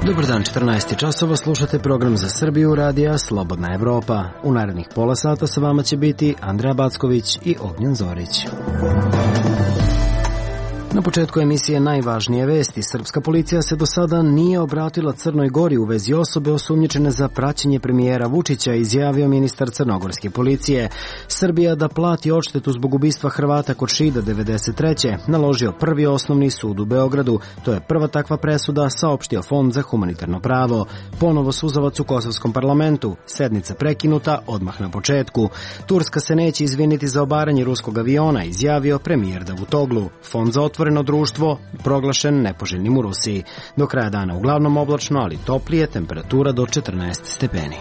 Dobar dan, 14 časova, slušate program za Srbiju radija Slobodna Evropa. U narednih pola sata sa vama će biti Andreja Backović i Ognjen Zorić. Na početku emisije najvažnije vesti. Srpska policija se do sada nije obratila Crnoj Gori u vezi osobe osumnjičene za praćenje premijera Vučića, izjavio ministar crnogorske policije. Srbija da plati odštetu zbog ubistva Hrvata kod Šida 93. naložio Prvi osnovni sud u Beogradu. To je prva takva presuda, saopštio Fond za humanitarno pravo. Ponovo suzavac u kosovskom parlamentu. Sednica prekinuta odmah na početku. Turska se neće izviniti za obaranje ruskog aviona, izjavio premijer Davutoglu. Fond za otvoreno društvo proglašen nepoželjnim u Rusiji. Do kraja dana uglavnom oblačno, ali toplije, temperatura do 14 stepeni.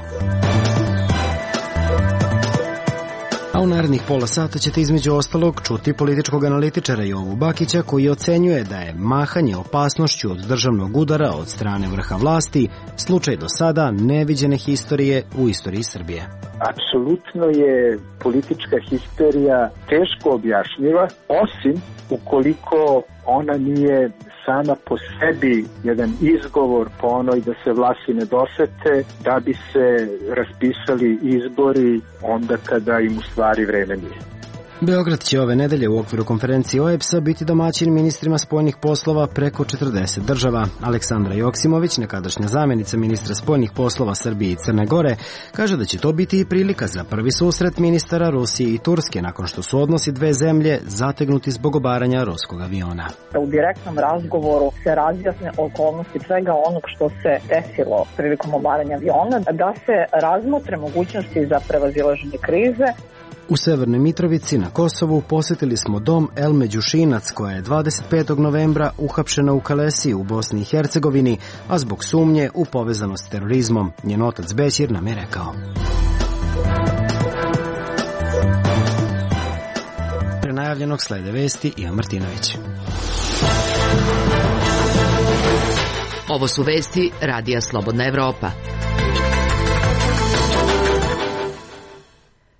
A u narednih pola sata ćete između ostalog čuti političkog analitičara Jovu Bakića, koji ocenjuje da je mahanje opasnošću od državnog udara od strane vrha vlasti slučaj do sada neviđene histerije u istoriji Srbije. Apsolutno je politička histerija teško objašnjiva, osim ukoliko ona nije sama po sebi jedan izgovor po onoj da se vlasi ne dosete, da bi se raspisali izbori onda kada im u stvari vreme nije. Beograd će ove nedelje u okviru konferencije OEBS-a biti domaćin ministrima spoljnih poslova preko 40 država. Aleksandra Joksimović, nekadašnja zamjenica ministra spoljnih poslova Srbije i Crne Gore, kaže da će to biti i prilika za prvi susret ministara Rusije i Turske nakon što su odnosi dve zemlje zategnuti zbog obaranja ruskog aviona. U direktnom razgovoru se razjasne okolnosti svega onog što se desilo prilikom obaranja aviona, da se razmotre mogućnosti za prevazilaženje krize. U Severnoj Mitrovici na Kosovu posjetili smo dom Elme Đušinac, koja je 25. novembra uhapšena u Kalesiji u Bosni i Hercegovini, a zbog sumnje u povezanost s terorizmom. Njen otac Bećir nam je rekao. Pre najavljenog slede vesti Ivan Martinović. Ovo su vesti radija Slobodna Evropa.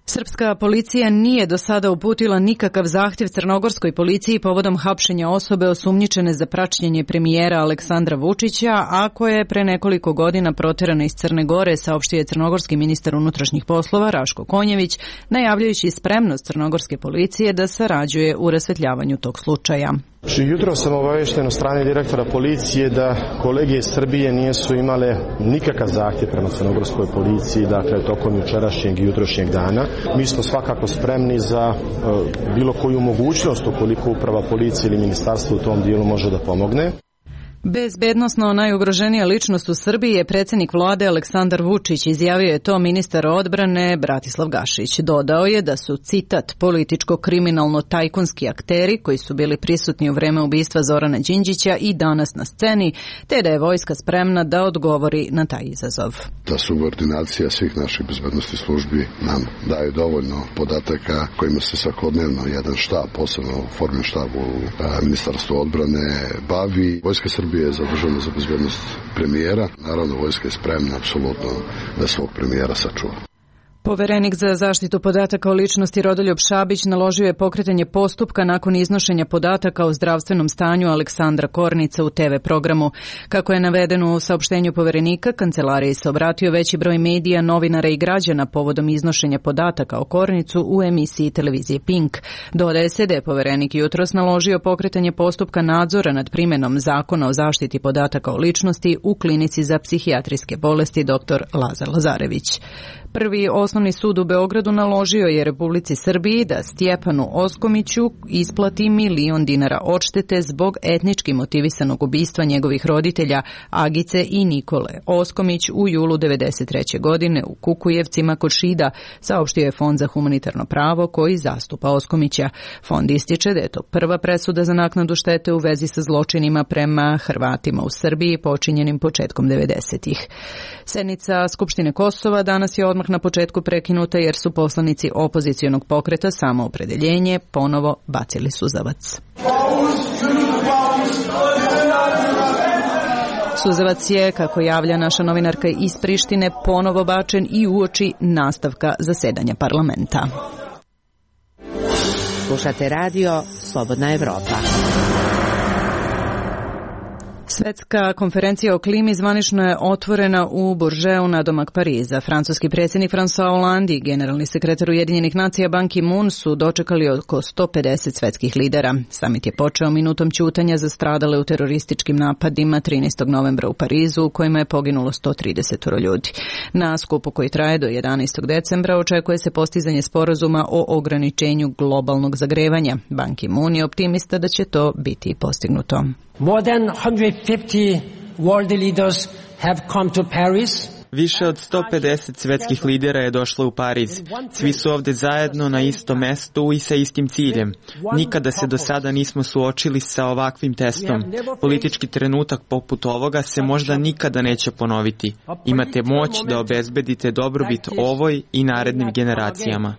Srpska policija nije do sada uputila nikakav zahtjev crnogorskoj policiji povodom hapšenja osobe osumnjičene za praćenje premijera Aleksandra Vučića, a koja je pre nekoliko godina proterana iz Crne Gore, saopštio je crnogorski ministar unutrašnjih poslova Raško Konjević, najavljajući spremnost crnogorske policije da sarađuje u rasvetljavanju tog slučaja. Jutro sam obavešten od strane direktora policije da kolege iz Srbije nisu imale nikakav zahtjev prema crnogorskoj policiji, dakle tokom jučerašnjeg i jutrošnjeg dana. Mi smo svakako spremni za bilo koju mogućnost ukoliko uprava policije ili ministarstvo u tom dijelu može da pomogne. Bezbednosno najugroženija ličnost u Srbiji je predsjednik vlade Aleksandar Vučić, izjavio je to ministar odbrane Bratislav Gašić. Dodao je da su, citat, političko-kriminalno-tajkunski akteri koji su bili prisutni u vreme ubistva Zorana Đinđića i danas na sceni, te da je vojska spremna da odgovori na taj izazov. Ta subordinacija svih naših bezbednostnih službi nam daje dovoljno podataka kojima se svakodnevno jedan štab, posebno formin štab u Ministarstvu odbrane bavi. Vojska Srbije je zadužena za bezbednost premijera. Naravno, vojska je spremna apsolutno da svog premijera sačuva. Poverenik za zaštitu podataka o ličnosti Rodoljub Šabić naložio je pokretanje postupka nakon iznošenja podataka o zdravstvenom stanju Aleksandra Kornica u TV programu. Kako je navedeno u saopštenju Poverenika, kancelariji se obratio veći broj medija, novinara i građana povodom iznošenja podataka o Kornicu u emisiji televizije Pink. Dodaje se da je Poverenik jutros naložio pokretanje postupka nadzora nad primjenom Zakona o zaštiti podataka o ličnosti u klinici za psihijatrijske bolesti dr. Lazar Lazarević. Prvi osnovni sud u Beogradu naložio je Republici Srbiji da Stjepanu Oskomiću isplati $1 milion odštete zbog etnički motivisanog ubistva njegovih roditelja Agice i Nikole Oskomić u julu 1993. godine u Kukujevcima kod Šida, saopštio je Fond za humanitarno pravo koji zastupa Oskomića. Fond ističe da je to prva presuda za naknadu štete u vezi sa zločinima prema Hrvatima u Srbiji počinjenim početkom 90-ih. Sednica Skupštine Kosova danas je odmah na početku prekinuta jer su poslanici opozicionog pokreta Samoopredeljenje ponovo bacili suzavac. Suzavac je, kako javlja naša novinarka iz Prištine, ponovo bačen i uoči nastavka zasedanja parlamenta. Slušate radio Slobodna Evropa. Svetska konferencija o klimi zvanično je otvorena u Bourgeoisu nadomak Pariza. Francuski predsjednik François Hollande i generalni sekretar Ujedinjenih nacija Ban Ki-moon su dočekali oko 150 svetskih lidera. Samit je počeo minutom ćutanja za stradale u terorističkim napadima 13. novembra u Parizu, u kojima je poginulo 130 ljudi. Na skupu koji traje do 11. decembra očekuje se postizanje sporazuma o ograničenju globalnog zagrevanja. Ban Ki-moon je optimista da će to biti postignuto. More than 150 world leaders have come to Paris. Više od 150 svetskih lidera je došlo u Pariz. Svi su ovde zajedno na istom mestu i sa istim ciljem. Nikada se do sada nismo suočili sa ovakvim testom. Politički trenutak poput ovoga se možda nikada neće ponoviti. Imate moć da obezbedite dobrobit ovoj i narednim generacijama.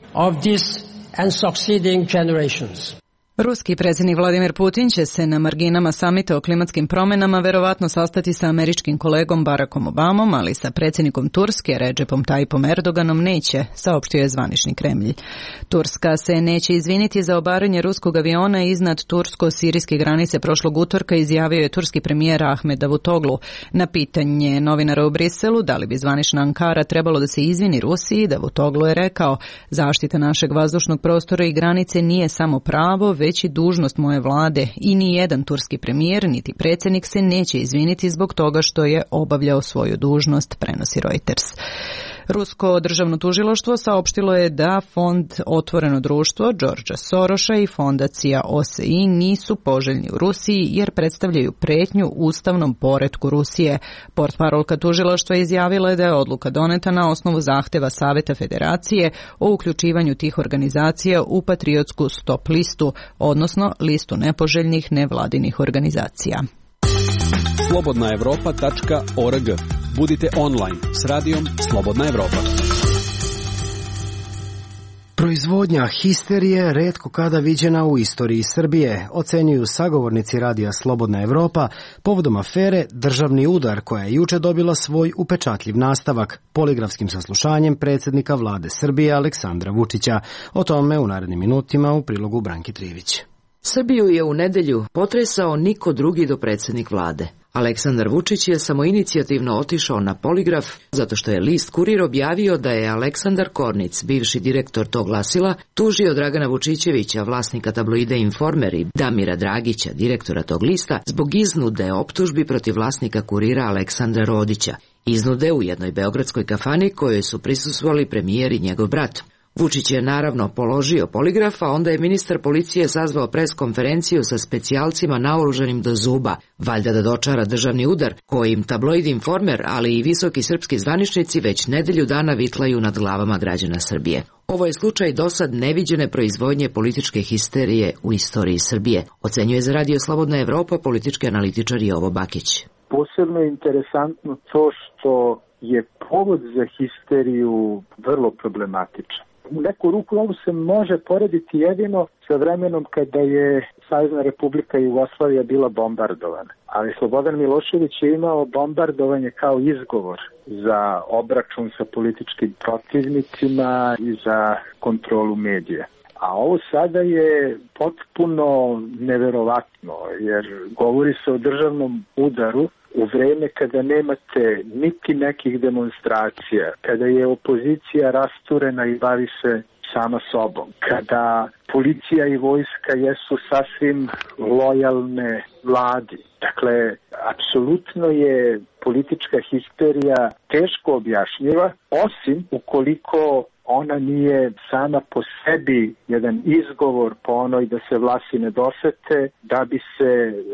Ruski predsjednik Vladimir Putin će se na marginama samita o klimatskim promjenama verovatno sastati sa američkim kolegom Barackom Obamom, ali sa predsjednikom Turske Recepom Tayyipom Erdoganom neće, saopštio je zvanični Kremlj. Turska se neće izviniti za obaranje ruskog aviona iznad tursko-sirijske granice prošlog utorka, izjavio je turski premijer Ahmed Davutoglu. Na pitanje novinara u Briselu da li bi zvanična Ankara trebalo da se izvini Rusiji, Davutoglu je rekao: zaštita našeg vazdušnog prostora i granice nije samo pravo, već i dužnost moje vlade i ni jedan turski premijer niti predsjednik se neće izviniti zbog toga što je obavljao svoju dužnost, prenosi Reuters. Rusko državno tužilaštvo saopštilo je da fond Otvoreno društvo Georgea Sorosa i fondacija OSI nisu poželjni u Rusiji jer predstavljaju pretnju ustavnom poretku Rusije. Portparolka tužilaštva izjavila je da je odluka doneta na osnovu zahteva Saveta Federacije o uključivanju tih organizacija u patriotsku stop listu, odnosno listu nepoželjnih nevladinih organizacija. slobodnaevropa.org. Budite online s radijom Slobodna Evropa. Proizvodnja histerije retko kada viđena u istoriji Srbije, ocenjuju sagovornici radija Slobodna Evropa povodom afere Državni udar, koja je juče dobila svoj upečatljiv nastavak poligrafskim saslušanjem predsjednika vlade Srbije Aleksandra Vučića. O tome u narednim minutima u prilogu Branki Trivić. Srbiju je u nedelju potresao niko drugi do predsjednik vlade. Aleksandar Vučić je samoinicijativno otišao na poligraf zato što je list Kurir objavio da je Aleksandar Kornic, bivši direktor tog glasila, tužio Dragana Vučićevića, vlasnika tabloida Informer, i Damira Dragića, direktora tog lista, zbog iznude optužbi protiv vlasnika Kurira Aleksandra Rodića. Iznude u jednoj beogradskoj kafani kojoj su prisustvovali premijer i njegov brat. Vučić je naravno položio poligraf, a onda je ministar policije sazvao pres-konferenciju sa specijalcima naoružanim do zuba, valjda da dočara državni udar, kojim tabloid Informer, ali i visoki srpski zvaničnici već nedelju dana vitlaju nad glavama građana Srbije. Ovo je slučaj dosad neviđene proizvodnje političke histerije u istoriji Srbije, ocenjuje za radio Slobodna Evropa politički analitičar Jovo Bakić. Posebno je interesantno to što je povod za histeriju vrlo problematičan. U neku ruku ovo se može porediti jedino sa vremenom kada je Savezna Republika Jugoslavija bila bombardovana. Ali Slobodan Milošević je imao bombardovanje kao izgovor za obračun sa političkim protivnicima i za kontrolu medija. A ovo sada je potpuno neverovatno, jer govori se o državnom udaru u vreme kada nemate niti nekih demonstracija, kada je opozicija rasturena i bavi se sama sobom, kada policija i vojska jesu sasvim lojalne vladi. Dakle, apsolutno je politička histerija teško objašnjiva, osim ukoliko ona nije sama po sebi jedan izgovor po onoj da se vlasi ne dosete, da bi se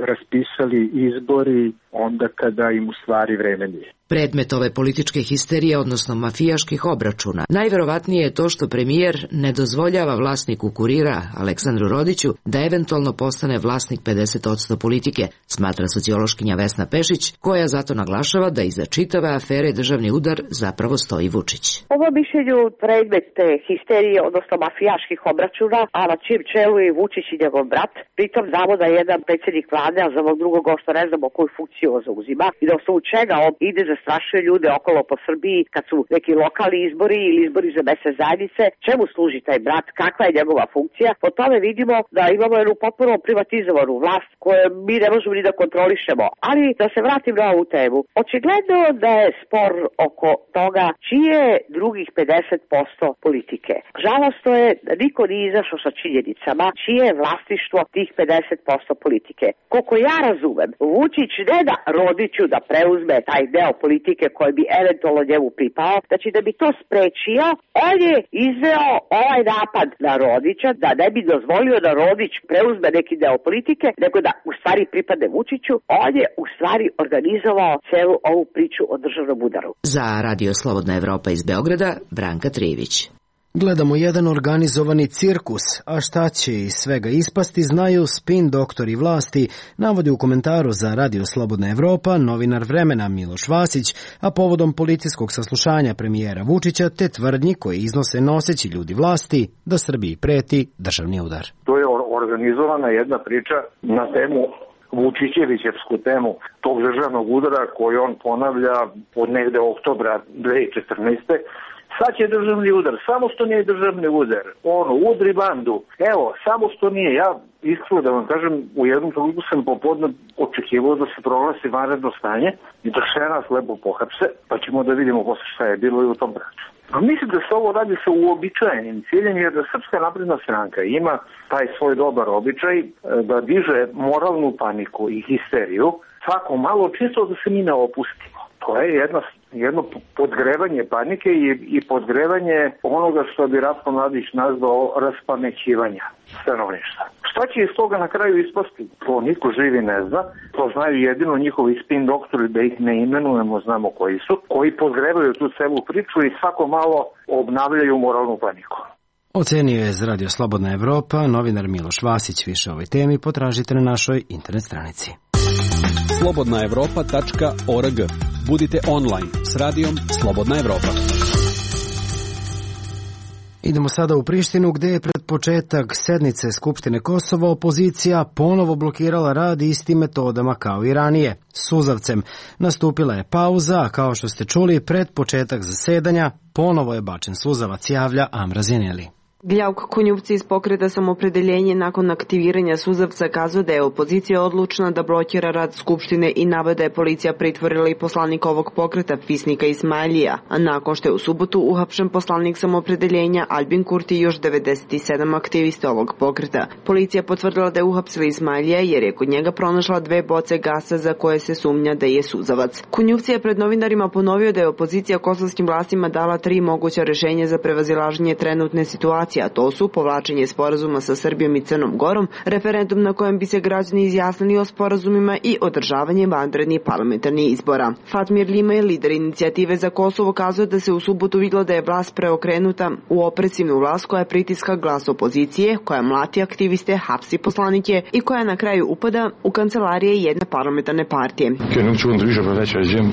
raspisali izbori onda kada im u stvari vreme nije. Predmet ove političke histerije, odnosno mafijaških obračuna, najverovatnije je to što premijer ne dozvoljava vlasniku Kurira, Aleksandru Rodiću, da eventualno postane vlasnik 50% politike, smatra sociološkinja Vesna Pešić, koja zato naglašava da iza čitave afere Državni udar zapravo stoji Vučić. Ovo mišljenju predmet te histerije, odnosno mafijaških obračuna, a na čijem čelu je Vučić i njegov brat. Pritom znamo da je jedan predsjednik vlade, a za ovog drugog što ne znamo koju funkciju poziciju on zauzima i da osnovu čega on ide zastrašuje ljude okolo po Srbiji kad su neki lokalni izbori ili izbori za mesne zajednice, čemu služi taj brat, kakva je njegova funkcija. Po tome vidimo da imamo jednu potpuno privatizovanu vlast koju mi ne možemo ni da kontrolišemo. Ali da se vratim na ovu temu. Očigledno da je spor oko toga čije je drugih 50% politike. Žalostno je da niko nije izašao sa činjenicama čije je vlasništvo tih 50% politike. Koliko ja razumem, Vučić ne da Rodiću da preuzme taj deo politike koji bi eventualno njemu pripao, znači da bi to sprečio, on je izveo ovaj napad na Rodića, da ne bi dozvolio da Rodić preuzme neki deo politike, nego da u stvari pripadne Vučiću, on je u stvari organizovao celu ovu priču o državnom udaru. Za Radio Slobodna Evropa iz Beograda, Branka Trivić. Gledamo jedan organizovani cirkus, a šta će iz svega ispasti znaju spin doktori vlasti, navodi u komentaru za Radio Slobodna Evropa novinar Vremena Miloš Vasić, a povodom policijskog saslušanja premijera Vučića te tvrdnji koje iznose noseći ljudi vlasti da Srbiji preti državni udar. To je organizovana jedna priča na temu Vučićevićevsku temu tog državnog udara koju on ponavlja od negde oktobra 2014. Sad će državni udar, samo što nije državni udar, udri bandu, evo, samo što nije, ja iskreno da vam kažem, u jednom trenutku sam popodne očekivao da se proglasi vanredno stanje i da sve nas lepo pohapse, pa ćemo da vidimo posle šta je bilo i u tom pravcu. A mislim da se ovo radi sa uobičajenim ciljem, jer da Srpska napredna stranka ima taj svoj dobar običaj da diže moralnu paniku i histeriju, svako malo čisto da se mi ne opustimo. To je jedno podgrevanje panike i podgrevanje onoga što bi Ratko Mladić nazvao raspamećivanja stanovništva. Šta će iz toga na kraju ispasti? To niko živi ne zna. To znaju jedino njihovi spin doktori, da ih ne imenujemo, znamo koji su, koji podgrevaju tu celu priču i svako malo obnavljaju moralnu paniku. Ocenio je za Radio Slobodna Evropa novinar Miloš Vasić. Više o ovoj temi potražite na našoj internet stranici. slobodnaevropa.org. Budite online s radijom Slobodna Evropa. Idemo sada u Prištinu gde je pred početak sednice Skupštine Kosova opozicija ponovo blokirala rad istim metodama kao i ranije, suzavcem. Nastupila je pauza, a kao što ste čuli, pred početak zasedanja ponovo je bačen suzavac, javlja Amra Zjeneli. Gljavko Konjupci iz Pokreta Samopredeljenje nakon aktiviranja suzavca kazao da je opozicija odlučna da blokira rad Skupštine i navode da je policija pritvorila i poslanika ovog pokreta Fisnika Ismailija, a nakon što je u subotu uhapšen poslanik Samopredeljenja Albin Kurti i još 97 aktivista ovog pokreta. Policija potvrdila da je uhapsila Ismailija jer je kod njega pronašla 2 boce gasa za koje se sumnja da je suzavac. Konjupci je pred novinarima ponovio da je opozicija kosovskim vlastima dala 3 moguća rešenja za prevazilaženje trenutne situacije, a to su povlačenje sporazuma sa Srbijom i Crnom Gorom, referendum na kojem bi se građani izjasnili o sporazumima i održavanje vanrednih parlamentarnih izbora. Fatmir Limaj, lider inicijative za Kosovo, kazuje da se u subotu vidjelo da je vlast preokrenuta u opresivnu vlast koja pritiska glas opozicije, koja mlati aktiviste, hapsi poslanike i koja na kraju upada u kancelarije jedne parlamentarne partije.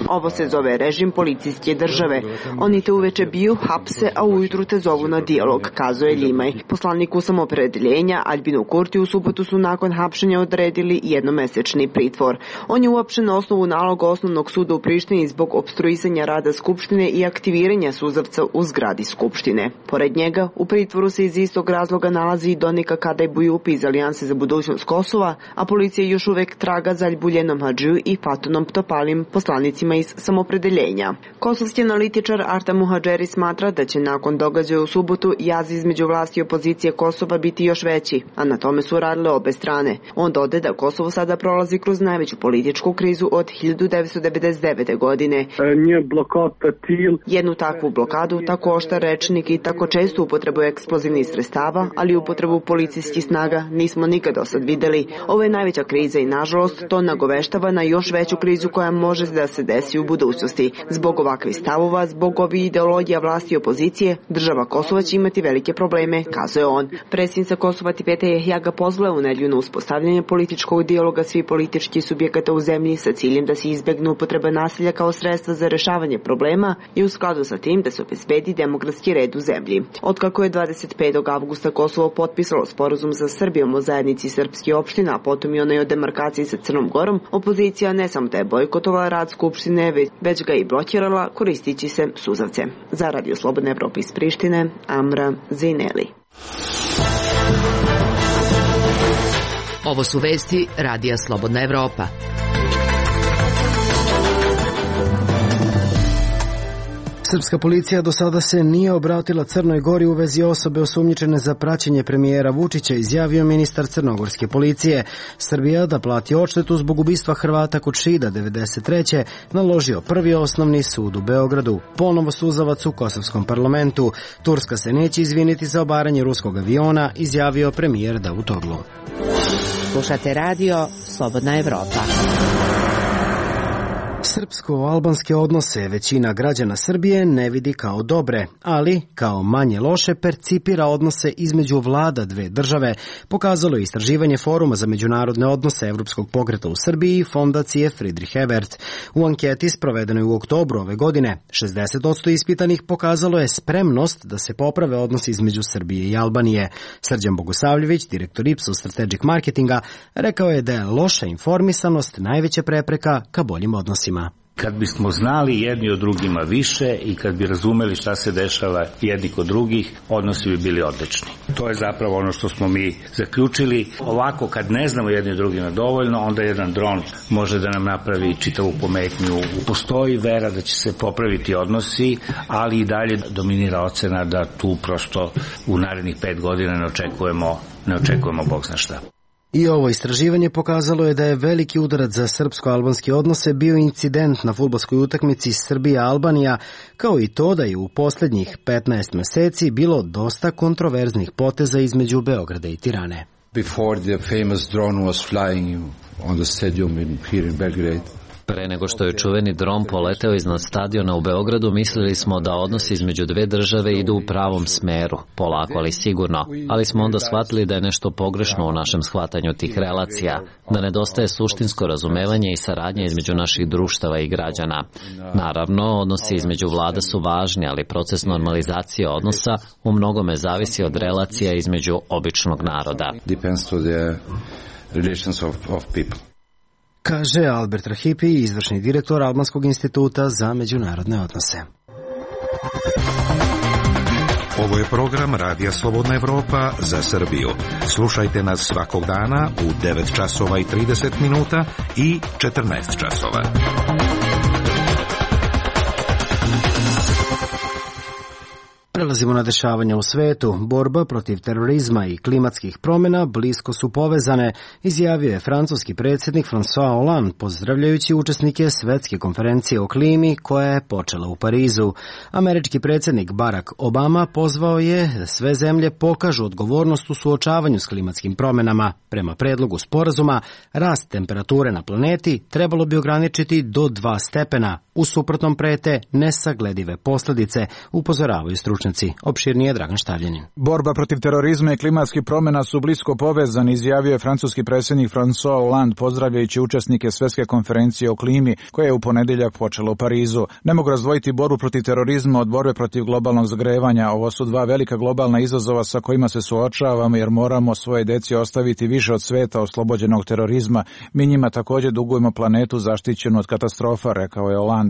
Ovo se zove režim policijske države. Oni te uveče biju, hapse, a ujutru te zovu na dijalog, kazuje Limaj. Poslaniku Samopredeljenja Albinu Kurti u subotu su nakon hapšenja odredili jednomesečni pritvor. On je uopšten na osnovu naloga Osnovnog suda u Prištini zbog opstruisanja rada Skupštine i aktiviranja suzavca u zgradi Skupštine. Pored njega, u pritvoru se iz istog razloga nalazi i Donika Kadaj Bujupi iz Alijanse za budućnost Kosova, a policija još uvek traga za Ljubuljenom Hadžiju i Fatunom Ptopalim, poslanicima iz Samopredeljenja. Kosovski analitičar Arta Muhadžeri smatra da će nakon događaja u subotu jaz između vlasti i opozicije Kosova biti još veći, a na tome su radile obe strane. On dode da Kosovo sada prolazi kroz najveću političku krizu od 1999. godine. Jednu takvu blokadu, tako oštar rečnik i tako čestu upotrebu eksplozivnih sredstava, ali upotrebu policijskih snaga nismo nikad do sad videli. Ovo je najveća kriza i nažalost to nagoveštava na još veću krizu koja može da se desi u budućnosti. Zbog ovakvih stavova, zbog ovih ideologija vlasti i opozicije, država Kosova će imati velike probleme probleme, kazuje on. Predsjednica Kosova Tipeta Jahja ga pozvala u nedjelju na uspostavljanje političkog dijaloga svih političkih subjekata u zemlji sa ciljem da se izbjegne upotreba nasilja kao sredstva za rješavanje problema i u skladu sa tim da se obezbedi demokratski red u zemlji. Otkako je 25. avgusta Kosovo potpisalo sporazum sa Srbijom o zajednici srpskih opština, a potom i onaj o demarkaciji sa Crnom Gorom, opozicija ne samo da je bojkotovala rad Skupštine, već ga i blokirala koristići se suzavce. Za Radio Slobodna Evropa iz Prištine, Amra Zineli. Ovo su vesti Radija Slobodna Evropa. Srpska policija do sada se nije obratila Crnoj Gori u vezi osobe osumnjičene za praćenje premijera Vučića, izjavio ministar crnogorske policije. Srbija da plati odštetu zbog ubistva Hrvata Kučida 93. naložio Prvi osnovni sud u Beogradu. Ponovo suzavac u kosovskom parlamentu. Turska se neće izviniti za obaranje ruskog aviona, izjavio premijer Davutoglu. Slušate radio Slobodna Evropa. Srpsko-albanske odnose većina građana Srbije ne vidi kao dobre, ali kao manje loše percipira odnose između vlada dve države, pokazalo je istraživanje Foruma za međunarodne odnose Evropskog pokreta u Srbiji i fondacije Friedrich Ebert. U anketi sprovedenoj u oktobru ove godine, 60% ispitanih pokazalo je spremnost da se poprave odnosi između Srbije i Albanije. Srđan Bogosavljević, direktor Ipsos Strategic Marketinga, rekao je da je loša informisanost najveća prepreka ka boljim odnosima. Kad bismo znali jedni od drugima više i kad bi razumeli šta se dešava jedni kod drugih, odnosi bi bili odlični. To je zapravo ono što smo mi zaključili. Ovako, kad ne znamo jedni od drugima dovoljno, onda jedan dron može da nam napravi čitavu pometnju. Postoji vera da će se popraviti odnosi, ali i dalje dominira ocena da tu prosto u narednih 5 godina ne očekujemo Bog zna šta. I ovo istraživanje pokazalo je da je veliki udarac za srpsko-albanske odnose bio incident na fudbalskoj utakmici Srbija-Albanija, kao i to da je u posljednjih 15 meseci bilo dosta kontroverznih poteza između Beograda i Tirane. Before the famous drone was flying on the stadium here in Belgrade. Pre nego što je čuveni dron poleteo iznad stadiona u Beogradu, mislili smo da odnosi između dve države idu u pravom smeru, polako ali sigurno, ali smo onda shvatili da je nešto pogrešno u našem shvatanju tih relacija, da nedostaje suštinsko razumevanje i saradnja između naših društava i građana. Naravno, odnosi između vlada su važni, ali proces normalizacije odnosa u mnogome zavisi od relacija između običnog naroda. Depends to the relations of people. Kaže Albert Rahipi, izvršni direktor Albanskog instituta za međunarodne odnose. Ovo je program Radija Slobodna Evropa za Srbiju. Slušajte nas svakog dana u 9 časova i 30 minuta i 14 časova. Prelazimo na dešavanja u svetu. Borba protiv terorizma i klimatskih promjena blisko su povezane, izjavio je francuski predsjednik François Hollande, pozdravljajući učesnike Svetske konferencije o klimi koja je počela u Parizu. Američki predsjednik Barack Obama pozvao je da sve zemlje pokažu odgovornost u suočavanju s klimatskim promjenama. Prema predlogu sporazuma, rast temperature na planeti trebalo bi ograničiti do 2 stepena. U suprotnom prete nesagledive posljedice, upozoravaju stručnjaci. Opširnije Dragan Štavljanin. Borba protiv terorizma i klimatskih promjena su blisko povezani, izjavio je francuski predsjednik François Hollande, pozdravljajući učesnike Svetske konferencije o klimi koja je u ponedjeljak počela u Parizu. Ne mogu razdvojiti borbu protiv terorizma od borbe protiv globalnog zagrevanja. Ovo su dva velika globalna izazova sa kojima se suočavamo, jer moramo svoje deci ostaviti više od sveta oslobođenog terorizma. Mi njima također dugujemo planetu zaštićenu od katastrofa, rekao je Hollande.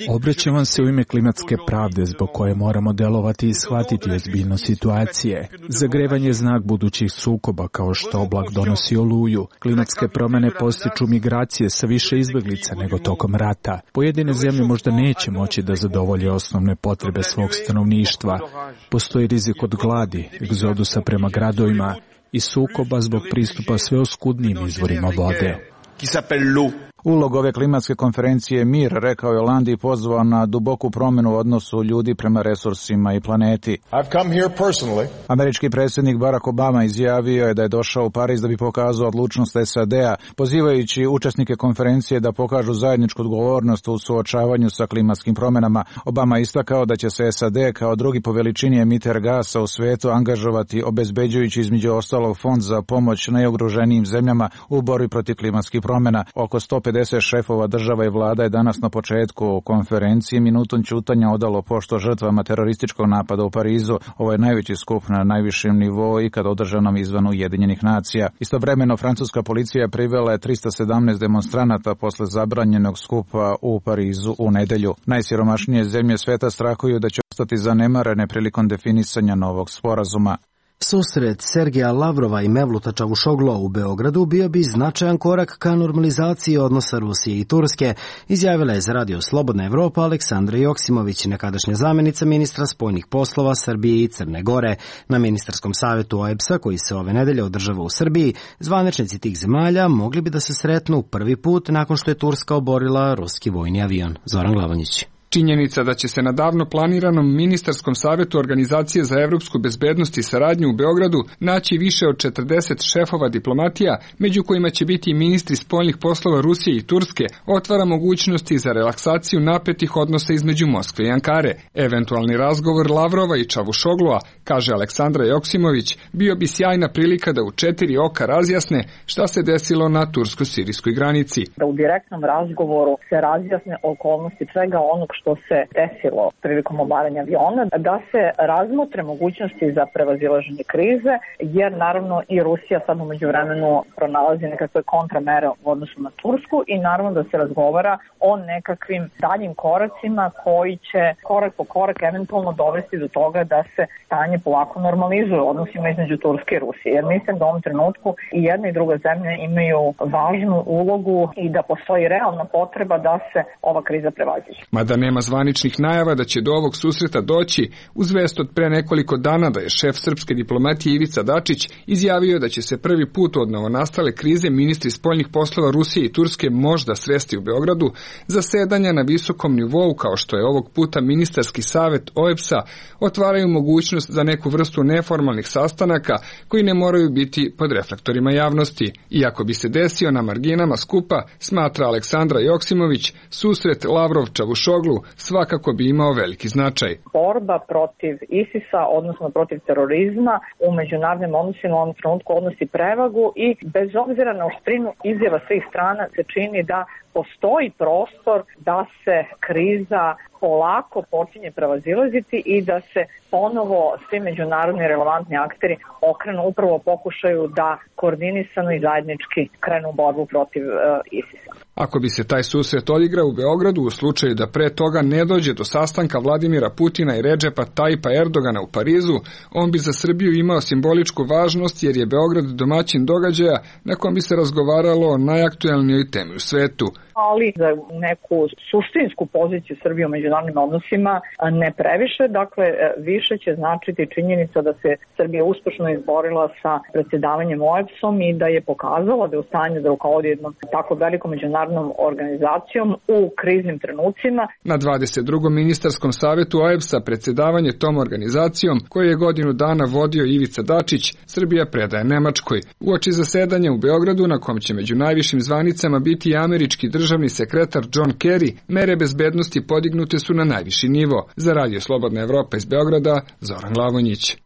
Obraćam vam se u ime klimatske pravde zbog koje moramo delovati i shvatiti ozbiljnost situacije. Zagrevanje je znak budućih sukoba, kao što oblak donosi oluju. Klimatske promjene postiču migracije sa više izbjeglica nego tokom rata. Pojedine zemlje možda neće moći da zadovolje osnovne potrebe svog stanovništva. Postoji rizik od gladi, egzodusa prema gradovima i sukoba zbog pristupa sve oskudnijim izvorima vode. Ulog ove klimatske konferencije Mir, rekao je Hollande i pozvao na duboku promjenu u odnosu ljudi prema resursima i planeti. Američki predsjednik Barack Obama izjavio je da je došao u Pariz da bi pokazao odlučnost SAD-a, pozivajući učesnike konferencije da pokažu zajedničku odgovornost u suočavanju sa klimatskim promjenama. Obama istakao da će se SAD kao drugi po veličini emiter gasa u svetu angažovati, obezbeđujući između ostalog fond za pomoć najugroženijim zemljama u borbi protiv klimatskih promjena. Oko 150 šefova država i vlada je danas na početku konferencije minutom ćutanja odalo pošto žrtvama terorističkog napada u Parizu. Ovo je najveći skup na najvišem nivou ikad održanom izvan Ujedinjenih nacija. Istovremeno, francuska policija privela je 317 demonstranata posle zabranjenog skupa u Parizu u nedelju. Najsiromašnije zemlje sveta strahuju da će ostati zanemarene prilikom definisanja novog sporazuma. Susret Sergeja Lavrova i Mevluta Čavušoglu u Beogradu bio bi značajan korak ka normalizaciji odnosa Rusije i Turske, izjavila je za Radio Slobodna Evropa Aleksandra Joksimović, nekadašnja zamjenica ministra spoljnih poslova Srbije i Crne Gore. Na ministarskom savetu OEBS-a, koji se ove nedelje održava u Srbiji, zvaničnici tih zemalja mogli bi da se sretnu prvi put nakon što je Turska oborila ruski vojni avion. Zoran Glavonjić. Činjenica da će se na davno planiranom ministarskom savetu Organizacije za evropsku bezbednost i saradnju u Beogradu naći više od 40 šefova diplomatija, među kojima će biti ministri spoljnih poslova Rusije i Turske, otvara mogućnosti za relaksaciju napetih odnosa između Moskve i Ankare. Eventualni razgovor Lavrova i Čavušoglua, kaže Aleksandra Joksimović, bio bi sjajna prilika da u 4 oka razjasne šta se desilo na tursko-sirijskoj granici. Da u direktnom razgovoru se razjasne okolnosti svega onog što se desilo prilikom obaranja aviona, da se razmotre mogućnosti za prevazilaženje krize, jer naravno i Rusija sad u međuvremenu pronalazi nekakve kontramere u odnosu na Tursku i naravno da se razgovara o nekakvim daljim koracima koji će korak po korak eventualno dovesti do toga da se stanje polako normalizuje u odnosima između Turske i Rusije. Jer mislim da u ovom trenutku i jedna i druga zemlja imaju važnu ulogu i da postoji realna potreba da se ova kriza prevaziđe. Mada nema zvaničnih najava da će do ovog susreta doći, uz vest od pre nekoliko dana da je šef srpske diplomatije Ivica Dačić izjavio da će se prvi put od novonastale krize ministri spoljnih poslova Rusije i Turske možda sresti u Beogradu, zasedanja na visokom nivou kao što je ovog puta ministarski savet OEBS-a otvaraju mogućnost za neku vrstu neformalnih sastanaka koji ne moraju biti pod reflektorima javnosti. Iako bi se desio na marginama skupa, smatra Aleksandra Joksimović, susret Lavrov-Čavušoglu svakako bi imao veliki značaj. Borba protiv ISIS-a, odnosno protiv terorizma, u međunarodnim odnosima u ovom trenutku odnosi prevagu i bez obzira na oštrinu izjava svih strana se čini da postoji prostor da se kriza polako počinje prevazilaziti i da se ponovo svi međunarodni relevantni akteri okrenu upravo pokušaju da koordinisano i zajednički krenu u borbu protiv ISIS-a. Ako bi se taj susret odigrao u Beogradu u slučaju da pre toga ne dođe do sastanka Vladimira Putina i Redžepa Tajipa Erdogana u Parizu, on bi za Srbiju imao simboličku važnost jer je Beograd domaćin događaja na kom bi se razgovaralo o najaktuelnijoj temi u svetu. Ali za neku suštinsku poziciju Srbije u međunarodnim odnosima ne previše, dakle više će značiti činjenica da se Srbija uspešno izborila sa predsjedavanjem OEBS-om i da je pokazala da je u stanju da rukovodi jednom tako velikom međunarodnom organizacijom u kriznim trenucima. Na 22. ministarskom savetu OEBS-a predsjedavanje tom organizacijom, koju je godinu dana vodio Ivica Dačić, Srbija predaje Nemačkoj. Uoči zasedanja u Beogradu, na kom će među najvišim zvanicama biti i američki državni sekretar John Kerry, mere bezbednosti podignute su na najviši nivo. Za Radio Slobodna Evropa iz Beograda, Zoran Glavonjić.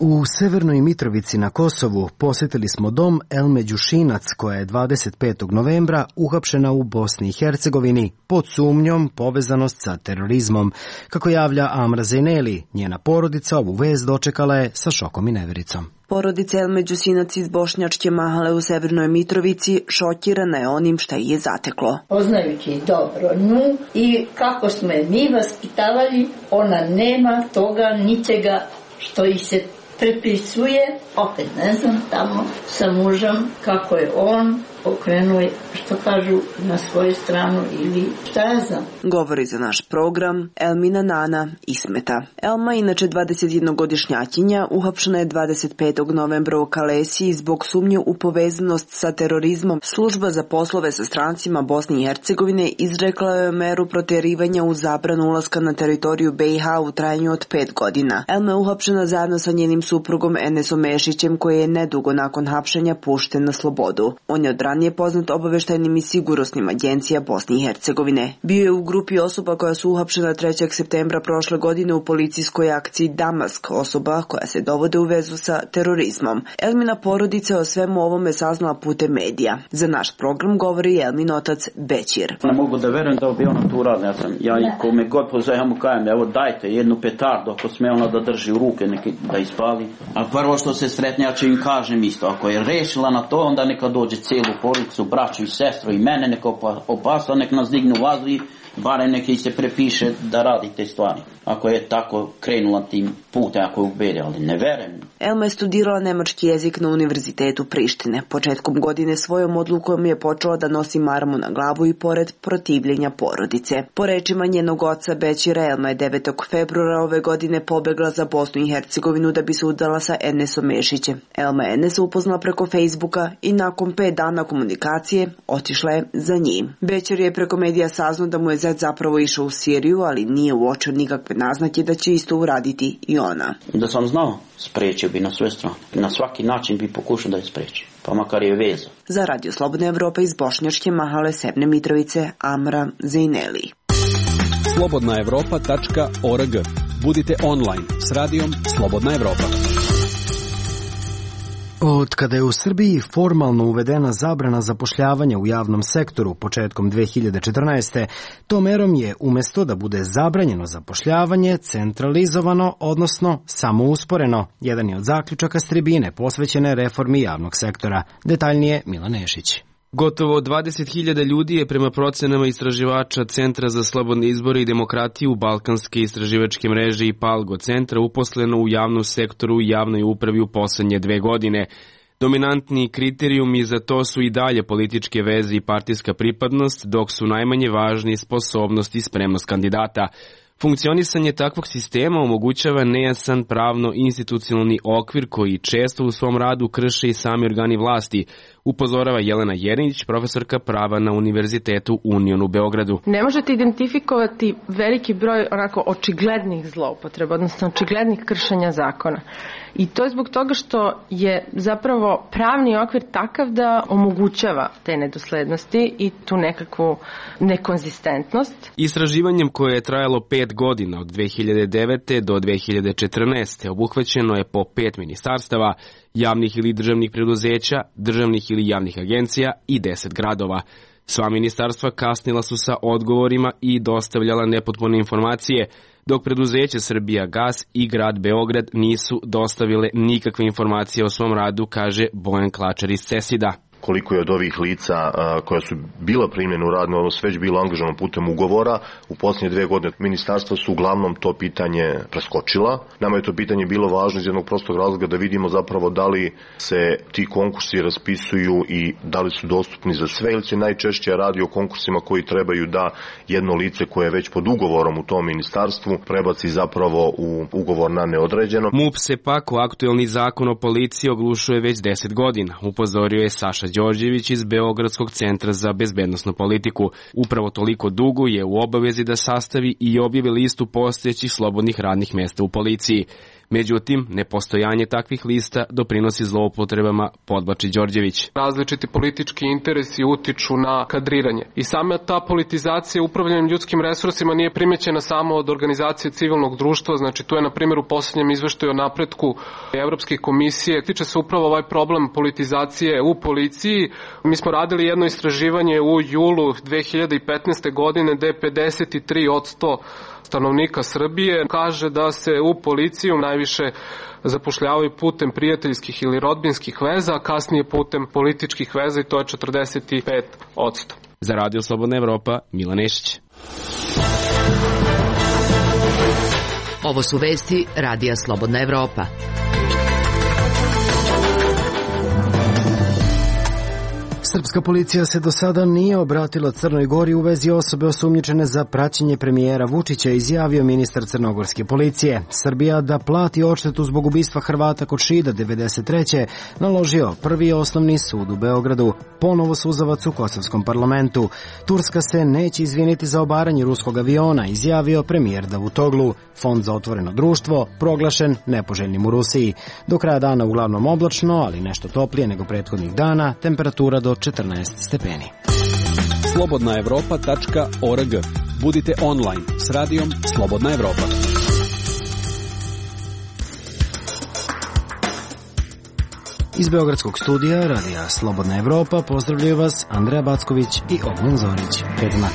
U Severnoj Mitrovici na Kosovu posjetili smo dom Elme Đušinac, koja je 25. novembra uhapšena u Bosni i Hercegovini pod sumnjom povezanost sa terorizmom. Kako javlja Amra Zejneli, njena porodica ovu vest dočekala je sa šokom i nevericom. Porodica Elme Đusinac iz Bošnjačke Mahale u Severnoj Mitrovici šokirana je onim šta je zateklo. Poznajući dobro nju i kako smo je mi vaspitavali, ona nema toga ničega što ih se prepisuje, opet ne znam, tamo sa mužem, kako je on okrenuo što kažu, na svoju stranu ili šta ja znam. Govori za naš program Elmina Nana Ismeta. Elma, inače 21-godišnjakinja, uhapšena je 25. novembra u Kalesiji zbog sumnje u povezanost sa terorizmom. Služba za poslove sa strancima Bosne i Hercegovine izrekla je meru protjerivanja u zabranu ulaska na teritoriju BiH u trajanju od 5 godina. Elma je uhapšena zajedno sa njenim suprugom Enesom Mešićem, koji je nedugo nakon hapšenja pušten na slobodu. On je od ranije poznat obaveštajnim i sigurnosnim agencija Bosne i Hercegovine. Bio je u grupi osoba koja su uhapšena 3. septembra prošle godine u policijskoj akciji Damask, osoba koja se dovode u vezu sa terorizmom. Elmina porodica o svemu ovome saznala putem medija. Za naš program govori Elmin otac Bećir. Ne mogu da verujem da bi ona to uradila. Ja i kome god pozove, ja mu kajem, evo dajte jednu petardu, ako sme ona da drži u ruke, neki da ispali. A prvo što se sretne, ja ću im kažem isto, ako je rešila na to, onda neka dođe celu porodicu, braću i sestru i mene, neka opasla, neka nas dignu u vazduh, barem neki se prepiše da radi te stvari. Ako je tako krenula tim putem, ako je ubede, ali ne verujem. Elma je studirala nemački jezik na Univerzitetu Prištine. Početkom godine svojom odlukom je počela da nosi marmu na glavu i pored protivljenja porodice. Po rečima njenog oca Bećira, Elma je 9. februara ove godine pobegla za Bosnu i Hercegovinu da bi se udala sa Enesom Mešićem. Elma je Enesa upoznala preko Facebooka i nakon 5 dana komunikacije otišla je za njim. Bećir je preko medija saznao da mu je zet zapravo išao u Siriju, ali nije uočio nikakve naznake da će isto uraditi i ona. Da sam znao, sprečio bi na sve strane. Na svaki način bi pokušao da je spreči, pa makar je veza. Za Radio Slobodna Evropa iz Bošnjačke Mahale Sevne Mitrovice, Amra Zejneli. slobodnaevropa.org. Budite online s radijom Slobodna Evropa. Od kada je u Srbiji formalno uvedena zabrana zapošljavanja u javnom sektoru početkom 2014. tom merom je umjesto da bude zabranjeno zapošljavanje centralizovano, odnosno samousporeno. Jedan je od zaključaka s tribine posvećene reformi javnog sektora. Detaljnije Milan Nešić. Gotovo 20.000 ljudi je prema procenama istraživača Centra za slobodne izbore i demokratiju Balkanske istraživačke mreže i Palgo centra uposleno u javnom sektoru i javnoj upravi u poslednje 2 godine. Dominantni kriterijumi za to su i dalje političke veze i partijska pripadnost, dok su najmanje važni sposobnost i spremnost kandidata. Funkcionisanje takvog sistema omogućava nejasan pravno-institucionalni okvir koji često u svom radu krše i sami organi vlasti, upozorava Jelena Jerinić, profesorka prava na Univerzitetu Union u Beogradu. Ne možete identifikovati veliki broj onako očiglednih zloupotreba, odnosno očiglednih kršenja zakona. I to je zbog toga što je zapravo pravni okvir takav da omogućava te nedoslednosti i tu nekakvu nekonzistentnost. Istraživanjem koje je trajalo 5 godina od 2009. do 2014. obuhvaćeno je po 5 ministarstava, javnih ili državnih preduzeća, državnih ili javnih agencija i 10 gradova. Sva ministarstva kasnila su sa odgovorima i dostavljala nepotpune informacije, dok preduzeće Srbijagas i grad Beograd nisu dostavile nikakve informacije o svom radu, kaže Bojan Klačar iz CESID-a. Koliko je od ovih lica koja su bila primljena u radni odnos već bilo angažovano putem ugovora. U posljednje 2 godine ministarstva su uglavnom to pitanje preskočila. Nama je to pitanje bilo važno iz jednog prostog razloga da vidimo zapravo da li se ti konkursi raspisuju i da li su dostupni za sve, ili se najčešće radi o konkursima koji trebaju da jedno lice koje je već pod ugovorom u tom ministarstvu prebaci zapravo u ugovor na neodređeno. MUP se pak u aktuelni zakon o policiji oglušuje već 10 godina, upozorio je Saša Đorđević iz Beogradskog centra za bezbednosnu politiku. Upravo toliko dugo je u obavezi da sastavi i objavi listu postojećih slobodnih radnih mesta u policiji. Međutim, nepostojanje takvih lista doprinosi zloupotrebama, podvlači Đorđević. Različiti politički interesi utiču na kadriranje. I sama ta politizacija upravljanjem ljudskim resursima nije primećena samo od organizacije civilnog društva, znači tu je na primjer u posljednjem izveštaju o napretku Evropske komisije. Tiče se upravo ovaj problem politizacije u policiji. Mi smo radili jedno istraživanje u julu 2015. godine gde je 53% stanovnika Srbije kaže da se u policiju najviše zapošljavaju putem prijateljskih ili rodbinskih veza, a kasnije putem političkih veza i to je 45%. Za Radio Slobodna Evropa, Milan Nešić. Ovo su vesti Radija Slobodna Evropa. Srpska policija se do sada nije obratila Crnoj Gori u vezi osobe osumnjičene za praćenje premijera Vučića, izjavio ministar crnogorske policije. Srbija da plati odštetu zbog ubistva Hrvata kod Šida 93. naložio Prvi osnovni sud u Beogradu. Ponovo suzavac u Kosovskom parlamentu. Turska se neće izviniti za obaranje ruskog aviona, izjavio premijer Davutoglu. Fond za otvoreno društvo proglašen nepoželjnim u Rusiji. Do kraja dana uglavnom oblačno, ali nešto toplije nego prethodnih dana, temperatura do 14 stepeni. Slobodnaevropa.org. Budite online s radijom Slobodna Evropa. Iz beogradskog studija radija Slobodna Evropa pozdravljaju vas Andreja Backović i Ognjen Zorić. Prijetno.